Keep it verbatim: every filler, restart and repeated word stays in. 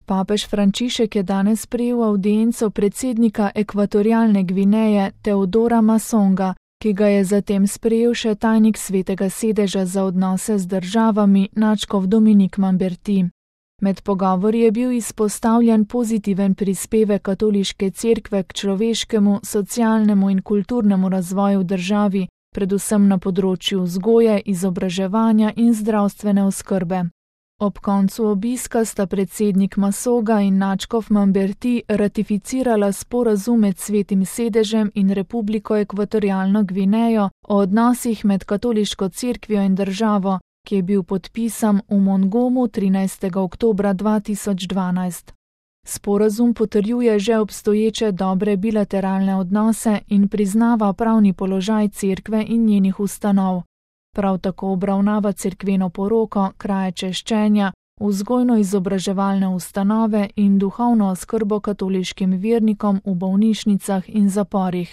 Papež Frančišek je danes prejel avdienco predsednika Ekvatorialne Gvineje Teodora Masonga, ki ga je zatem sprejel še tajnik Svetega sedeža za odnose z državami nadškof Dominik Mamberti. Med pogovori je bil izpostavljen pozitiven prispevek katoliške cerkve k človeškemu, socialnemu in kulturnemu razvoju v državi, predvsem na področju vzgoje, izobraževanja in zdravstvene oskrbe. Ob koncu obiska sta predsednik Masonga in nadškof Mamberti ratificirala sporazum med Svetim sedežem in Republiko Ekvatorialno Gvinejo o odnosih med katoliško cerkvijo in državo, ki je bil podpisan v Mongomu trinajstega oktobra dva tisoč dvanajst. Sporazum potrjuje že obstoječe dobre bilateralne odnose in priznava pravni položaj cerkve in njenih ustanov. Prav tako obravnava cerkveno poroko, kraje češčenja, vzgojno-izobraževalne ustanove in duhovno oskrbo katoliškim vernikom v bolnišnicah in zaporih.